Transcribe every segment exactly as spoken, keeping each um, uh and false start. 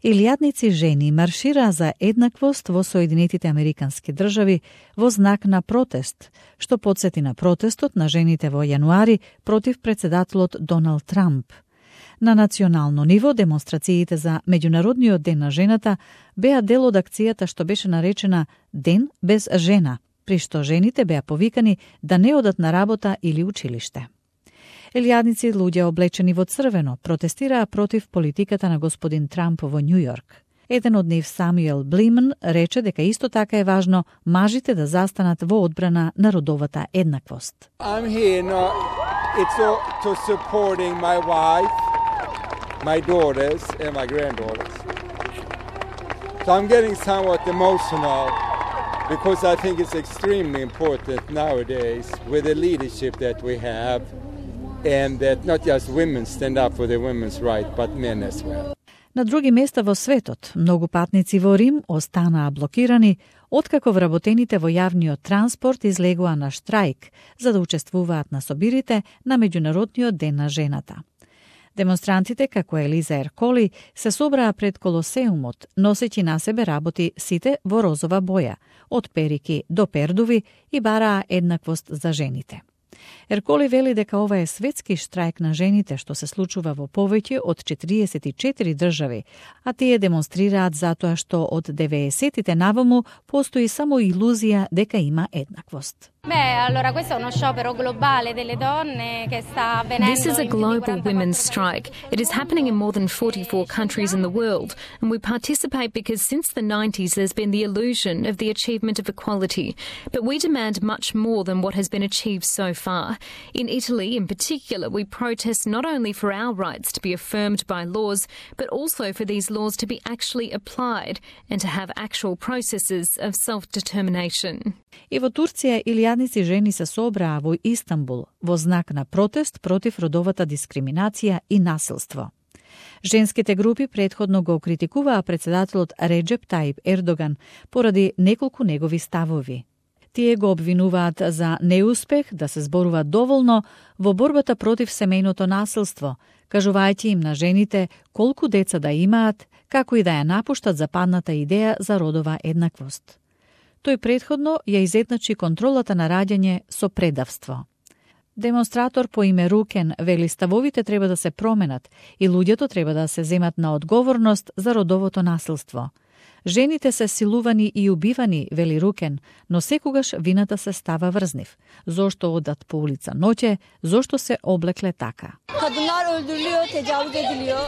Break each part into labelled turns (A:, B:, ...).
A: Илјадници жени маршираа за еднаквост во Соединетите Американски држави во знак на протест, што потсети на протестот на жените во јануари против председателот Доналд Трамп. На национално ниво демонстрациите за Меѓународниот ден на жената беа дел од акцијата што беше наречена Ден без жена, при што жените беа повикани да не одат на работа или училиште. Илјадници луѓе облечени во црвено протестираа против политиката на господин Трамп во Њујорк. Еден од нив, Самуел Блиман, рече дека исто така е важно мажите да застанат во одбрана на родовата еднаквост.
B: I'm here not it's all to supporting my wife, my daughters and my granddaughters. So I'm getting somewhat emotional because I think it's extremely important nowadays with the leadership that we have. And that not just women stand up for their women's right, but men as well.
A: На други места во светот, многу патници во Рим останаа блокирани, откако вработените во јавниот транспорт излегоа на штрајк за да учествуваат на собирите на Меѓународниот ден на жената. Демонстрантите, како Елиза Ерколи, се собраа пред Колосеумот, носејќи на себе работи сите во розова боја, од перики до пердуви, и бараа еднаквост за жените. Ерколи вели дека ова е светски штрајк на жените што се случува во повеќе од четириесет и четири држави, а тие демонстрираат затоа што од деветдесетите наваму постои само илузија дека има еднаквост.
C: Beh, allora questo è uno sciopero globale delle donne che sta avvenendo.
D: This is a global women's strike. It is happening in more than forty-four countries in the world, and we participate because since the nineties there's been the illusion of the achievement of equality, but we demand much more than what has been achieved so far. In Italy in particular, we protest not only for our rights to be affirmed by laws, but also for these laws to be actually applied and to have actual processes of self-determination.
A: И во Турција илјадници жени се собраа во Истанбул во знак на протест против родовата дискриминација и насилство. Женските групи претходно го критикуваа председателот Реджеп Таип Ердоган поради неколку негови ставови. Тие го обвинуваат за неуспех да се зборува доволно во борбата против семејното насилство, кажувајќи им на жените колку деца да имаат, како и да ја напуштат западната идеја за родова еднаквост. Тој претходно ја изедначи контролата на раѓање со предавство. Демонстратор по име Рукен вели ставовите треба да се променат и луѓето треба да се земат на одговорност за родовото насилство. Жените се силувани и убивани, вели Рукен, но секогаш вината се става врз нив. Зошто одат по улица ноќе, зошто се облекле така.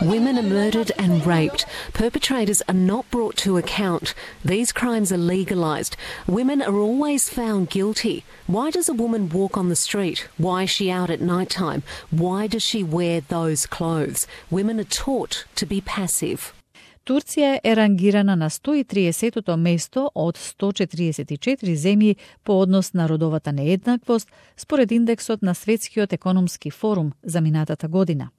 E: Women are murdered and raped. Perpetrators are not brought to account. These crimes are legalized. Women are always found guilty. Why does a woman walk on the street? Why is she out at night time? Why does she wear those clothes? Women are taught to be passive.
A: Турција е рангирана на сто и триесетото место од сто четириесет и четири земји по однос на родовата нееднаквост според индексот на Светскиот економски форум за минатата година.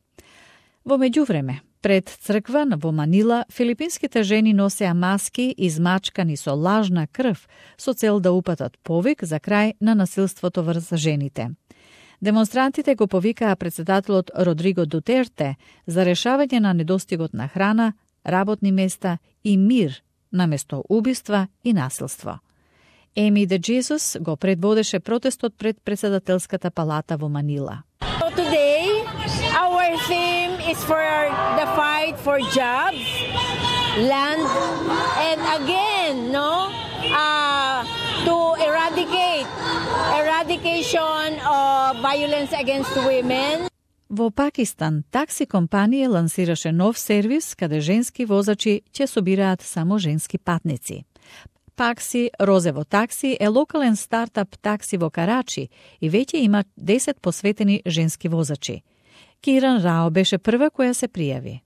A: Во меѓувреме, пред црква во Манила, филипинските жени носеа маски измачкани со лажна крв со цел да упатат повик за крај на насилството врз жените. Демонстрантите го повикаа председателот Родриго Дутерте за решавање на недостигот на храна, работни места и мир наместо убиства и насилство. Еми де Джесус го предводеше протестот пред председателската палата во Манила.
F: So today, our theme is for the fight for jobs, land, and again, no, uh, to eradicate, eradication of violence against women.
A: Во Пакистан, такси компанија лансираше нов сервис каде женски возачи ќе собираат само женски патници. Пакси Розево такси е локален стартап такси во Карачи и веќе има десет посветени женски возачи. Киран Рао беше прва која се пријави.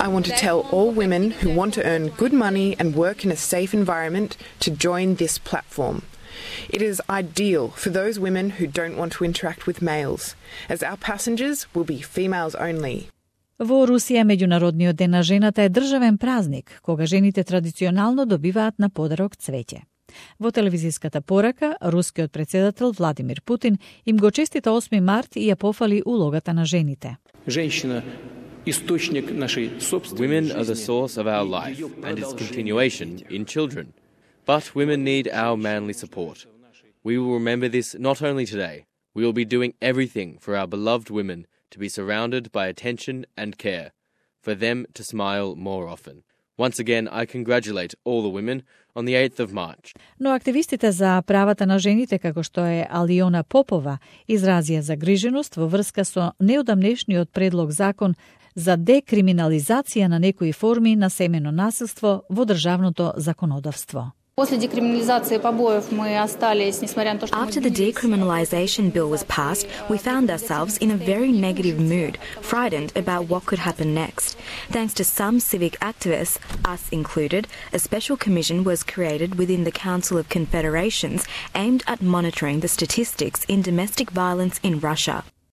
G: I want to tell all women who want to earn good money and work in a safe environment to join this platform. It is ideal for those women who don't want to interact with males, as our passengers will be females only.
A: Во Русија Меѓународниот ден на жената е државен празник, кога жените традиционално добиваат на подарок цвеќе. Во телевизиската порака, рускиот председател Владимир Путин им го честита осми март и ја пофали улогата на жените.
H: Женщина Women are the source of our life and its continuation in children. But women need our manly support. We will remember this not only today. We will be doing everything for our beloved women to be surrounded by attention and care, for them to smile more often. Once again, I congratulate all the women on the eighth of March.
A: Но активистите за правата на жените, како што е Алиона Попова, изразија загриженост во врска со неодамнешниот предлог закон за декриминализација на некои форми на семено насилство во државното законодавство.
I: After the decriminalization bill was passed, we found ourselves in a very negative mood, frightened about what could happen next. Thanks to some civic activists, us included, a special commission was created within the Council of Confederations aimed at monitoring the statistics in domestic violence in Russia.